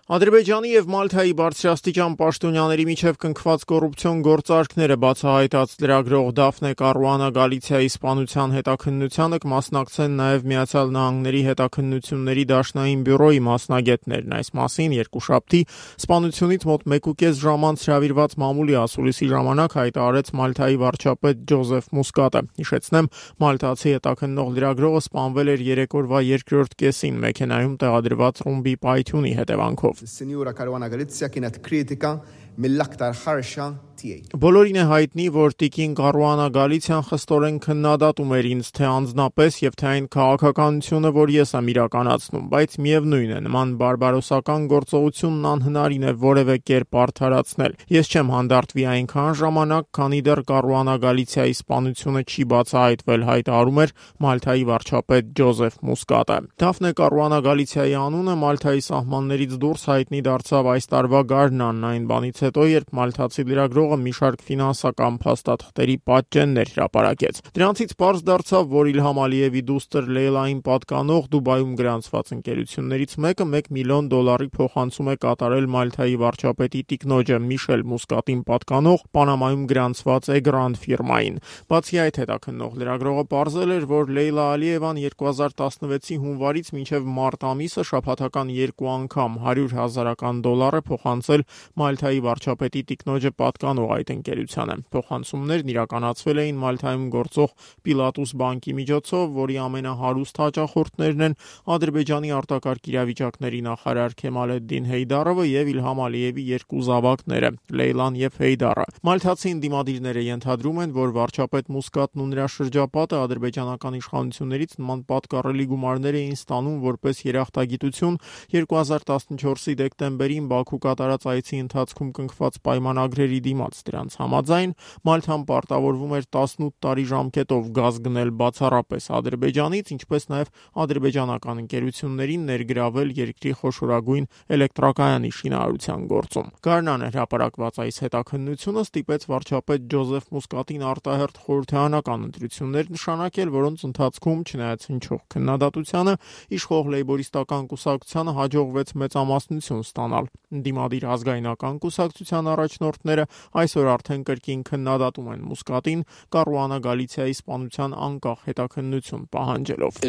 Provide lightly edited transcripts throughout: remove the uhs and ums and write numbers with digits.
Ադրբեջանի եւ Մալթայի բարձրաստիճան պաշտոնյաների միջև կնքված կոռուպցիոն գործարքները բացահայտած լրագրող Դաֆնե Կարուանա Գալիցիայի սպանության հետաքննությանը կմասնակցեն նաեւ Միացյալ Նահանգների հետաքննությունների դաշնային բյուրոյի մասնագետներն։ Այս մասին երկուշաբթի սպանությունից մոտ 1.5 ժամ անց հրավիրված մամուլի ասուլիսի ժամանակ հայտարարեց Մալթայի վարչապետ Ջոզեֆ Մուսկատը։ Հիշեցնեմ, մալթացի հետաքննող լրագրողը սպանվել էր երեկորվա երկրորդ կեսին մեքենայում տեղադրված ռումբի պայթյունի հետևանքով։ Signora Caruana Galizia kienet kritika mill-aktar ħarxa tiegħi. Բոլորին է հայտնի, որ տիկին Կարուանա Գալիցիան խստորեն քննադատում էր ինձ թե անձնապես եւ թե այն քաղաքականությունը, որ ես եմ իրականացնում, բայց միևնույն է, նման բարբարոսական գործողությունն անհնարին է որևէ կերպ արդարացնել։ Ես չեմ հանդարտվի այնքան ժամանակ, քանի դեռ Կարուանա Գալիցիայի սպանությունը չի բացահայտվել, հայտարարում էր Մալթայի վարչապետ Ջոզեֆ Մուսկատը։ Դաֆնե Կարուանա Գալիցիայի անունը Մալթայի սահմաններից դուրս հայտնի դարձավ այս տարվա գարնան, այն բանից հետո, երբ մալթացի լրագրողը մի շարք ֆինանսական փաստաթղթերի պատճեններ հրապարակեց։ Դրանցից պարզ դարձավ, որ Իլհամ Ալիևի դուստր Լեյլային պատկանող Դուբայում գրանցված ընկերություններից մեկը $1 միլիոն փոխանցում է կատարել Մալթայի վարչապետի տիկնոջը Միշել Մուսկատին պատկանող Պանամայում գրանցված Էգրանդ ֆիրմային։ Բացի այդ, հետաքննող լրագրողը պարզել էր, որ Լեյլա Ալիևան 2016-ի հունվարից մինչև մարտ ամիսը շաբաթական 2 անգամ $100,000 փոխանցել Մալթայի վարչապետի տիկնոջը պատկանող այդ ընկերությանը։ Փոխանցումներն իրականացվել էին Մալթայում գործող Պիլատուս բանկի միջոցով, որի ամենահարուստ հաճախորդներն են Ադրբեջանի արտակարգ իրավիճակների նախարար Քեմալեդդին Հեյդարովը եւ Իլհամ Ալիևի երկու զավակները՝ Լեյլան եւ Հեյդարը։ Մալթացի ընդդիմադիրները ենթադրում են, որ վարչապետ Մուսկատն ու նրա շրջապատը ադրբեջանական իշխանություններից նման պատկառելի գումարներ էին ստանում որպես երախտագիտություն 2014-ի դեկտեմբերին Բաքու կատարած այցի ընթացքում կնքված պայմանագրերի դիմաց։ Դրանց համաձայն Մալթան պարտավորվում էր 18 տարի ժամկետով գազ գնել բացառապես Ադրբեջանից, ինչպես նաև ադրբեջանական ընկերություններին ներգրավել երկրի խոշորագույն էլեկտրակայանի շինարարության գործում։ Գարնանը հրապարակված այս հետաքննությունը ստիպեց վարչապետ Ջոզեֆ Մուսկատին արտահերթ խորհրդարանական ընտրություններ նշանակել, որոնց ընթացքում, չնայած հնչող քննադատությանը, իշխող լեյբորիստական կուսակցությանը հաջողվեց մեծամասնություն ստանալ։ Ընդդիմադիր ազգայնական կուսակցության առաջնորդները այսօր արդեն կրկին քննադատում են Մուսկատին Կարուանա Գալիցիայի սպանության անկախ հետաքննություն պահանջելով։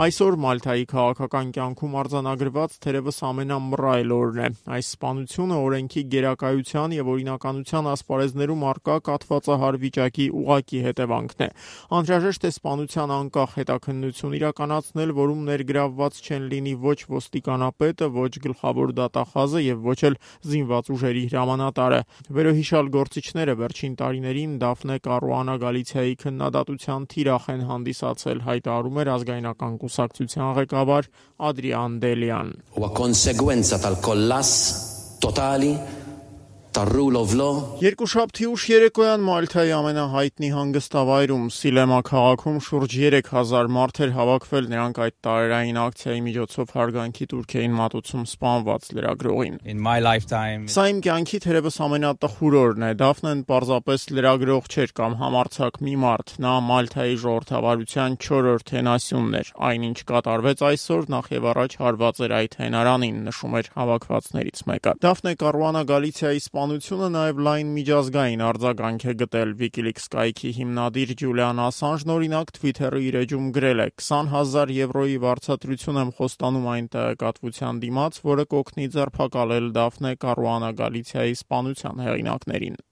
Այսօր Մալթայի քաղաքական կյանքում արձանագրված թերևս ամենամռայլ օրն է։ Այս սպանությունը օրենքի գերակայության եւ օրինականության ասպարեզներում առկա կաթվածահար վիճակի ուղղակի հետևանքն է։ Անհրաժեշտ է սպանության անկախ հետաքննություն իրականացնել, որում ներգրավված չեն լինի ոչ ոստիկանապետը, ոչ գլխավոր դատախազը եւ ոչ էլ զինված ուժերի հրամանատարը։ Վերոհիշյալ գործիչները վերջին տարիներին Դաֆնե Կարուանա Գալիցիայի քննադատության թիրախ են հանդիսացել, հայտարարում էր ազգայնական կուսակցության ղեկավար Ադրիան Դելյան։ Երկուշաբթի ուշ երեկոյան Մալթայի ամենահայտնի հանգստավայրում Սիլեմա քաղաքում շուրջ 3000 մարդ էր հավաքվել, նրանք այդ տարերային ակցիայի միջոցով հարգանքի տուրք էին մատուցում սպանված լրագրողին։ Սա իմ կյանքի թերևս ամենատխուր օրն է։ Դաֆնեն պարզապես լրագրող չէր կամ համարձակ մի մարդ, նա Մալթայի ժողովրդավարության 4-րդ հենասյունն էր։ Այնինչ կատարվեց այսօր նախ եւ առաջ հարված էր այդ հենարանին, նշում էր հավաքվածներից մեկը։ Դաֆնե Կարուանա Գալիցիայի սպանությունը նաև լայն միջազգային արձագանք է գտել։ WikiLeaks կայքի հիմնադիր Ջուլիան Ասանժն օրինակ Twitter-ի իր էջում գրել է. 20,000 եվրոյի վարձատրություն եմ խոստանում այն տեղեկատվության դիմաց, որը կօգնի ձերբակալել Դաֆնե Կարուանա Գալիցիայի սպանության հեղինակներին։